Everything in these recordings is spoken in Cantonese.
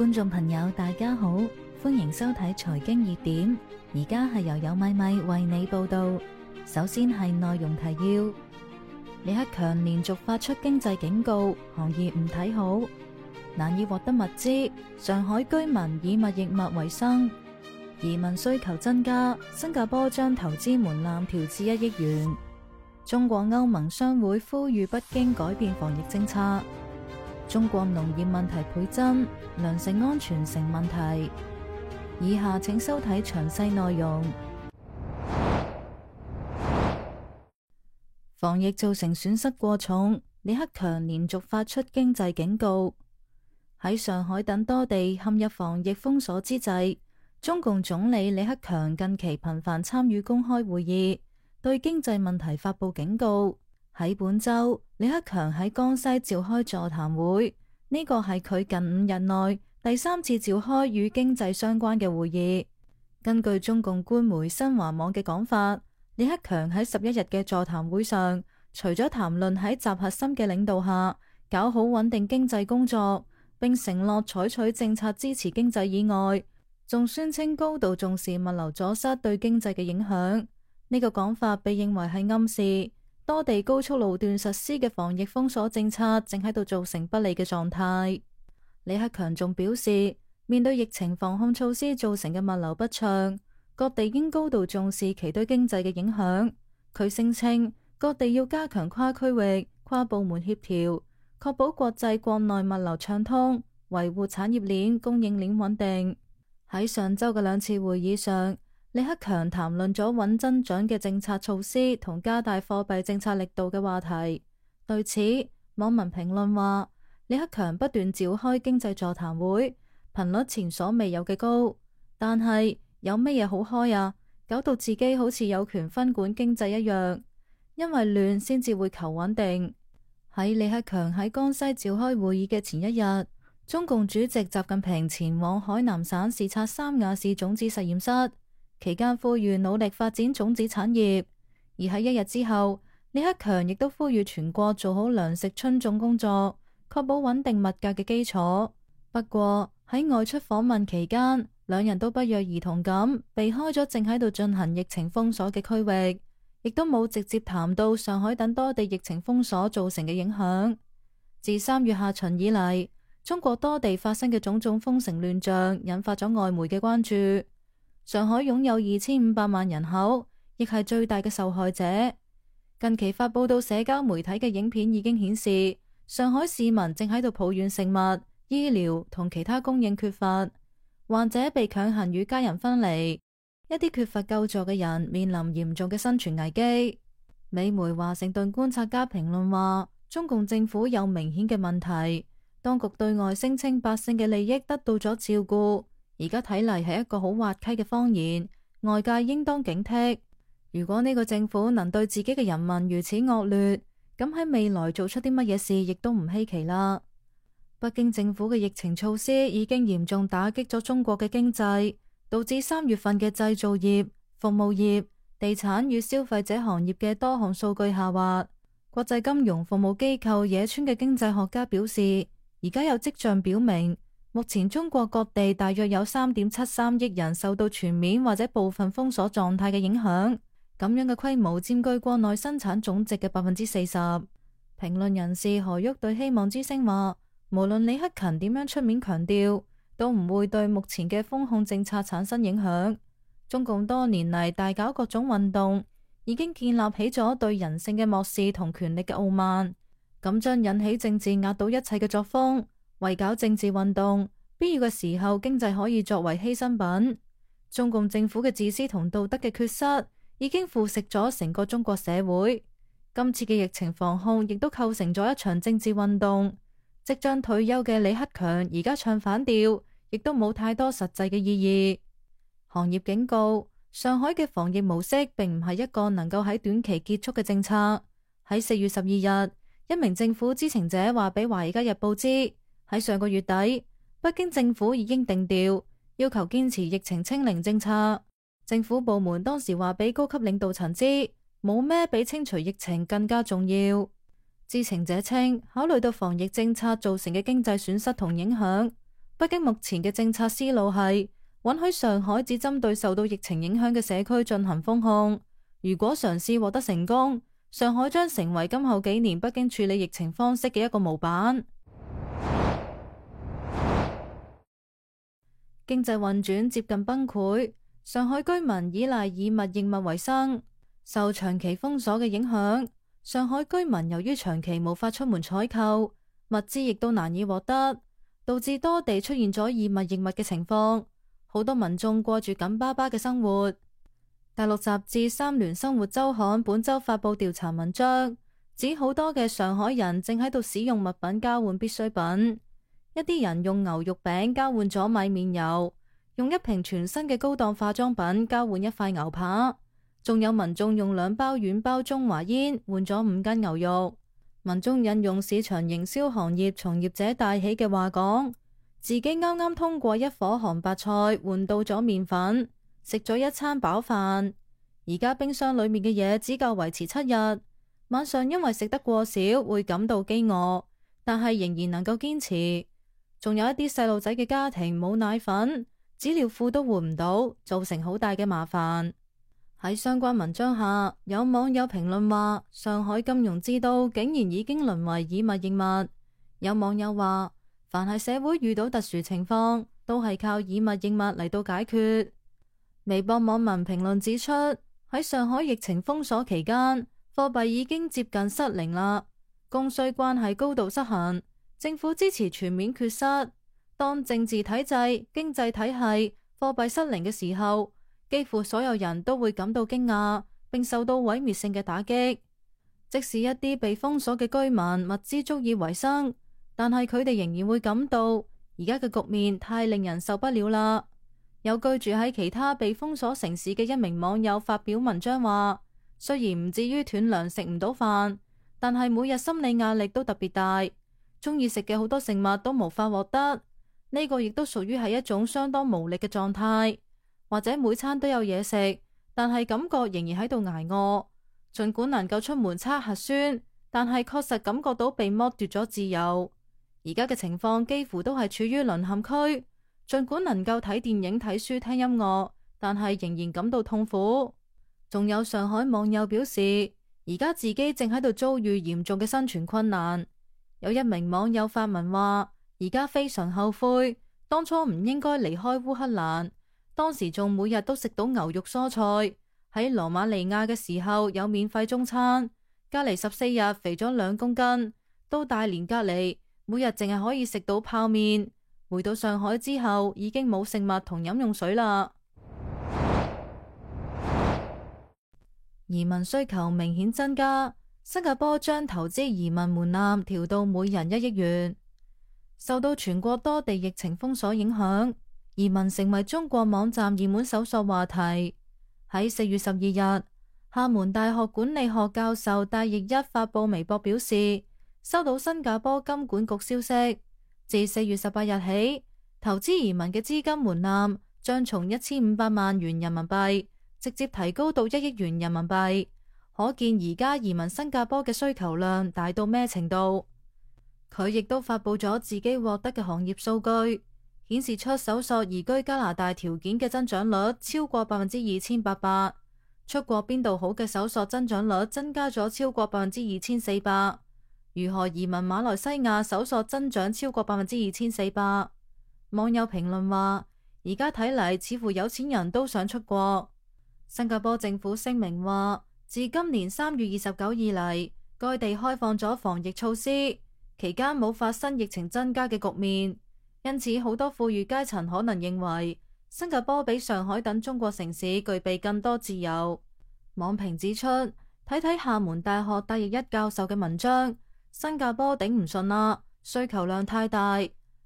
觀眾朋友大家好，歡迎收睇財經熱點，而家係由有米米為你報道。首先係內容提要：李克強連續發出經濟警告，行業唔睇好，難以獲得物資，上海居民以物易物為生，移民需求增加，新加坡將投資門檻調至1億元。中國歐盟商會呼籲北京改變防疫政策。中國農業問題倍增，糧食安全成問題。以下請收睇詳細內容。防疫造成損失過重，李克強連續發出經濟警告。喺上海等多地陷入防疫封鎖之際，中共總理李克強近期頻繁參與公開會議，對經濟問題發佈警告。喺本周，李克強喺江西召開座談會，呢個係佢近5日內第3次召開與經濟相關嘅會議。根據中共官媒新華網嘅講法，李克強喺11日嘅座談會上，除咗談論喺習核心嘅領導下搞好穩定經濟工作，並承諾採取政策支持經濟以外，仲宣稱高度重視物流阻塞對經濟嘅影響。呢個講法被認為係暗示多地高速路段實施嘅防疫封鎖政策正喺度造成不利嘅狀態。李克強仲表示，面對疫情防控措施造成嘅物流不暢，各地應高度重視其對經濟嘅影響。佢聲稱，各地要加強跨區域、跨部門協調，確保國際國內物流暢通，維護產業鏈、供應鏈穩定。喺上周嘅2次會議上，李克強談論咗穩增長嘅政策措施同加大貨幣政策力度嘅話題。對此，網民評論話，李克強不斷召開經濟座談會，頻率前所未有嘅高，但係有乜嘢好開啊？搞到自己好似有權分管經濟一樣，因為亂先至會求穩定。喺李克強喺江西召開會議嘅前一日，中共主席習近平前往海南省視察三亞市種子實驗室，期間呼籲努力發展種子產業。而喺1日之後，李克強亦都呼籲全國做好糧食春種工作，確保穩定物價嘅基礎。不過喺外出訪問期間，兩人都不約而同咁避開咗正喺度進行疫情封鎖嘅區域，亦都冇直接談到上海等多地疫情封鎖造成嘅影響。自3月下旬以嚟，中國多地發生嘅種種封城亂象引發咗外媒嘅關注。上海擁有2500萬人口，亦係最大嘅受害者。近期發佈到社交媒體嘅影片已經顯示，上海市民正喺度抱怨食物、醫療同其他供應缺乏，患者被強行與家人分離，一啲缺乏救助嘅人面臨嚴重嘅生存危機。美媒華盛頓觀察家評論話，中共政府有明顯嘅問題，當局對外聲稱百姓嘅利益得到咗照顧，而家睇嚟係一個好滑稽嘅謊言，外界應當警惕。如果呢個政府能對自己嘅人民如此惡劣，咁喺未來做出啲乜嘢事亦都唔稀奇啦。北京政府嘅疫情措施已經嚴重打擊咗中國嘅經濟，導致3月份嘅製造業、服務業、地產與消費者行業嘅多項數據下滑。國際金融服務機構野村嘅經濟學家表示，而家有跡象表明，目前中國各地大約有3.73億人受到全面或者部分封鎖狀態嘅影響，咁樣嘅規模佔據國內生產總值嘅40%。評論人士何旭對希望之聲話，無論李克強點樣出面強調，都唔會對目前嘅封控政策產生影響。中共多年嚟大搞各種運動，已經建立起咗對人性嘅漠視同權力嘅傲慢，咁將引起政治壓倒一切嘅作風。為搞政治運動，必要嘅時候經濟可以作為犧牲品。中共政府嘅自私同道德嘅缺失，已經腐蝕咗成個中國社會。今次嘅疫情防控亦都構成咗一場政治運動。即將退休嘅李克強而家唱反調，亦都冇太多實際嘅意義。行業警告，上海嘅防疫模式並唔係一個能夠喺短期結束嘅政策。喺4月12日，一名政府知情者話俾《華爾街日報》知，喺上個月底，北京政府已經定調，要求堅持疫情清零政策。政府部門當時話俾高級領導層知，冇咩比清除疫情更加重要。知情者稱，考慮到防疫政策造成嘅經濟損失同影響，北京目前嘅政策思路係允許上海只針對受到疫情影響嘅社區進行封控。如果嘗試獲得成功，上海將成為今後幾年北京處理疫情方式嘅一個模板。經濟運轉接近崩潰，上海居民依賴以物易物為生，受長期封鎖嘅影響，上海居民由於長期無法出門採購，物資亦都難以獲得，導致多地出現咗以物易物嘅情況，好多民眾過住緊巴巴嘅生活。大陸雜誌《三聯生活週刊》本周發佈調查文章，指好多嘅上海人正喺度使用物品交換必需品。一啲人用牛肉餅交換咗米麵油，用一瓶全新嘅高檔化妝品交換一塊牛扒，仲有民眾用2包軟包中華煙換咗5斤牛肉。民眾引用市場營銷行業從業者帶起嘅話講，自己啱啱通過一顆韓白菜換到咗麵粉，食咗一餐飽飯，而家冰箱裏面嘅嘢只夠維持7日，晚上因為食得過少會感到飢餓，但係仍然能夠堅持。仲有一啲細路仔嘅家庭冇奶粉，紙尿褲都換唔到，造成好大嘅麻煩。喺相關文章下，有網友評論話，上海金融之都竟然已經淪為以物易物。有網友話，凡係社會遇到特殊情況，都係靠以物易物嚟到解決。微博網民評論指出，喺上海疫情封鎖期間，貨幣已經接近失靈啦，供需關係高度失衡，政府支持全面缺失。當政治體制、經濟體系、貨幣失靈嘅時候，幾乎所有人都會感到驚訝，並受到毀滅性嘅打擊。即使一啲被封鎖嘅居民物資足以維生，但係佢哋仍然會感到而家嘅局面太令人受不了啦。有居住喺其他被封鎖城市嘅一名網友發表文章話，雖然唔至於斷糧食唔到飯，但係每日心理壓力都特別大，中意食嘅好多食物都無法獲得，呢個亦都屬於係一種相當無力嘅狀態。或者每餐都有嘢食，但係感覺仍然喺度挨餓，盡管能夠出門測核酸，但係確實感覺到被剝奪咗自由。而家嘅情況幾乎都係處於淪陷區，盡管能夠睇電影、睇書、聽音樂，但係仍然感到痛苦。仲有上海網友表示，而家自己正喺度遭遇嚴重嘅生存困難。有一名網友發文話，而家非常後悔，當初唔應該離開烏克蘭。當時仲每日都食到牛肉蔬菜，喺羅馬尼亞嘅時候有免費中餐，隔離14日肥咗2公斤，到大連隔離每日淨係可以食到泡麵。回到上海之後已經冇食物同飲用水啦。移民需求明顯增加，新加坡將投資移民門檻調到每人1億元。受到全國多地疫情封鎖影響，移民成為中國網站熱門搜索話題。喺4月12日，廈門大學管理學教授戴奕一發佈微博表示，收到新加坡金管局消息，自4月18日起，投資移民嘅資金門檻將從1500萬元人民幣直接提高到1億元人民幣，可見而家移民新加坡嘅需求量大到咩程度。佢亦都發佈咗自己獲得嘅行業數據，顯示出搜索移居加拿大條件嘅增長率超過2800%，出國邊度好嘅搜索增長率增加咗超過2400%，如何移民馬來西亞搜索增長超過2400%。網友評論話，而家睇嚟似乎有錢人都想出國。新加坡政府聲明話，自今年3月29以嚟，該地開放咗防疫措施，期間冇發生疫情增加嘅局面。因此，好多富裕階層可能認為新加坡比上海等中國城市具備更多自由。網評指出，睇睇廈門大學戴奕一教授嘅文章，新加坡頂唔順啦，需求量太大，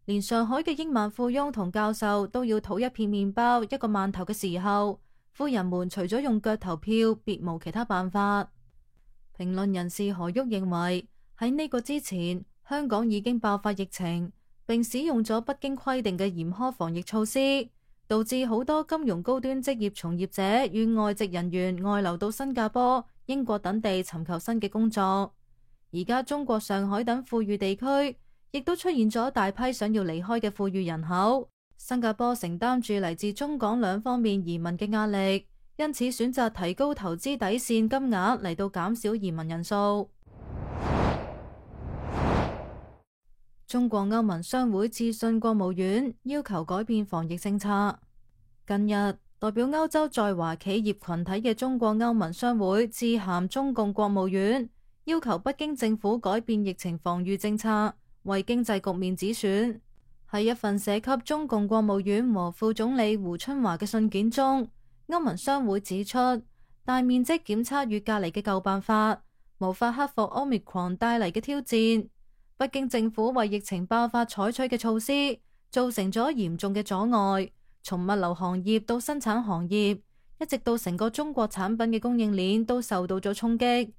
連上海嘅億萬富翁同教授都要討一片麵包、一個饅頭嘅時候，富人們除咗用腳投票，別無其他辦法。評論人士何旭認為，喺呢個之前，香港已經爆發疫情，並使用咗不經規定嘅嚴苛防疫措施，導致好多金融高端職業從業者與外籍人員外流到新加坡、英國等地尋求新嘅工作。而家中國上海等富裕地區亦都出現咗大批想要離開嘅富裕人口。新加坡承擔住嚟自中港兩方面移民嘅壓力，因此選擇提高投資底線金額嚟到減少移民人數。中國歐盟商會致信國務院，要求改變防疫政策。近日，代表歐洲在華企業群體嘅中國歐盟商會致函中共國務院，要求北京政府改變疫情防禦政策，為經濟局面止損。喺一份寫給中共國務院和副總理胡春華嘅信件中，歐盟商會指出，大面積檢測與隔離嘅舊辦法無法克服 Omicron 帶嚟嘅挑戰。北京政府為疫情爆發採取嘅措施，造成咗嚴重嘅阻礙，從物流行業到生產行業，一直到成個中國產品嘅供應鏈都受到咗衝擊。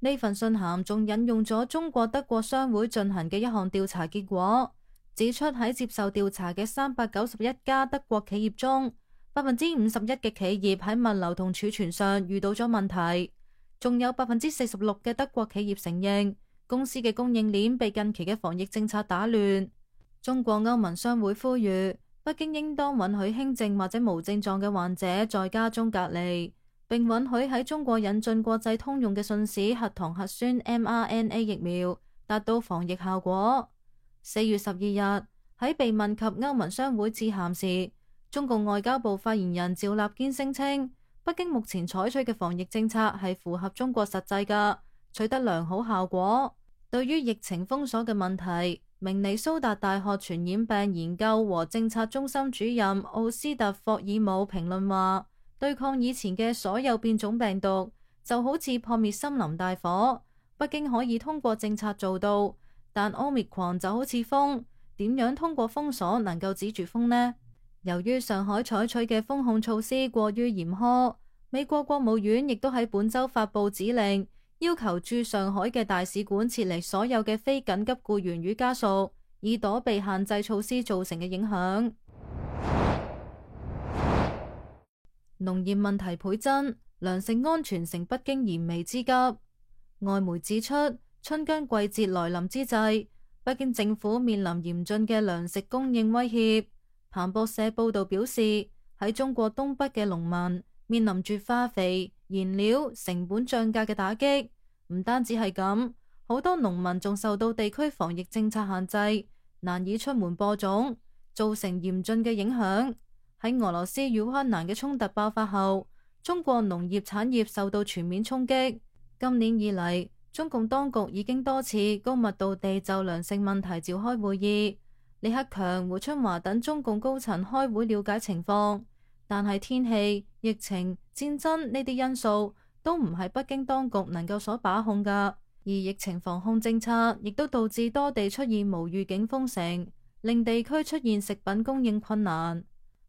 呢份信函仲引用咗中國德國商會進行嘅一項調查結果，指出喺接受調查嘅391家德國企業中，51%嘅企業喺物流同儲存上遇到咗問題，仲有46%嘅德國企業承認公司嘅供應鏈被近期嘅防疫政策打亂。中國歐盟商會呼籲北京應當允許輕症或者無症狀嘅患者在家中隔離，並允許喺中國引進國際通用嘅信使核糖核酸 mRNA 疫苗，達到防疫效果。4月12日喺被問及歐盟商會致函時，中共外交部發言人趙立堅聲稱，北京目前採取嘅防疫政策係符合中國實際㗎，取得良好效果。對於疫情封鎖嘅問題，明尼蘇達大學傳染病研究和政策中心主任奧斯特霍爾姆評論話，對抗以前嘅所有變種病毒就好似撲滅森林大火，北京可以通過政策做到，但 Omicron 就好似風，點樣通過封鎖能夠止住風呢？由於上海採取嘅封控措施過於嚴苛，美國國務院亦都喺本週發布指令，要求駐上海嘅大使館撤離所有嘅非緊急僱員與家屬，以躲避限制措施造成嘅影響。農業問題倍增，糧食安全成北京燃眉之急。外媒指出，春耕季節來臨之際，北京政府面臨嚴峻嘅糧食供應威脅。彭博社報道表示，喺中國東北嘅農民面臨住化肥、燃料成本漲價嘅打擊，唔單止係咁，好多農民仲受到地區防疫政策限制，難以出門播種，造成嚴峻嘅影響。喺俄羅斯與烏克蘭嘅衝突爆發後，中國農業產業受到全面衝擊。今年以嚟，中共當局已經多次高密度地就糧食問題召開會議，李克強、胡春華等中共高層開會了解情況，但係天氣、疫情、戰爭呢啲因素都唔係北京當局能夠所把控㗎，而疫情防控政策亦都導致多地出現無預警封城，令地區出現食品供應困難。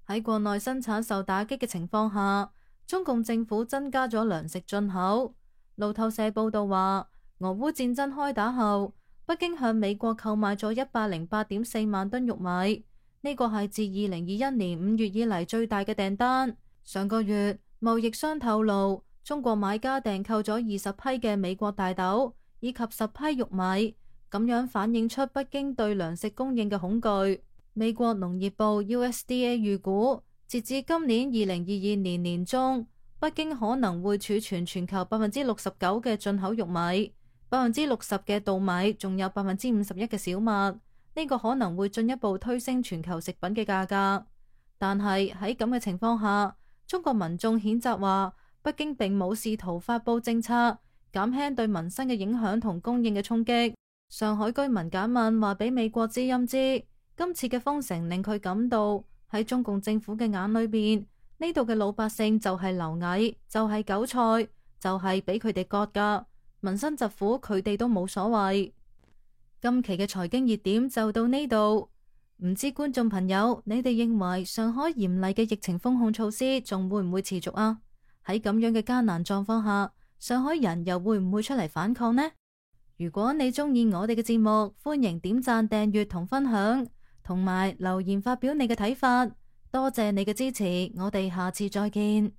喺國內生產受打擊嘅情況下，中共政府增加咗糧食進口。路透社報道話，俄烏戰爭開打後，北京向美國購買咗108.4萬噸玉米，呢個係自2021年5月以嚟最大嘅訂單。上個月，貿易商透露，中國買家訂購咗20批嘅美國大豆以及10批玉米，咁樣反映出北京對糧食供應嘅恐懼。美國農業部 USDA 預估，截至今年2022年年中，北京可能會儲存全球69%嘅進口玉米、60%嘅稻米，仲有51%嘅小麥。呢個可能會進一步推升全球食品嘅價格。但係喺咁嘅情況下，中國民眾譴責話，北京並冇試圖發佈政策減輕對民生嘅影響同供應嘅衝擊。上海居民簡問話俾美國之音知，今次嘅封城令佢感到喺中共政府嘅眼裏邊，呢度嘅老百姓就係螻蟻，就係韭菜，就係俾佢哋割噶，民生疾苦佢哋都冇所謂。今期嘅財經熱點就到呢度，唔知觀眾朋友你哋認為上海嚴厲嘅疫情封控措施仲會唔會持續啊？喺咁樣嘅艱難狀況下，上海人又會唔會出嚟反抗呢？如果你中意我哋嘅節目，歡迎點讚、訂閱同分享，同埋留言發表你嘅睇法。多謝你嘅支持，我哋下次再見。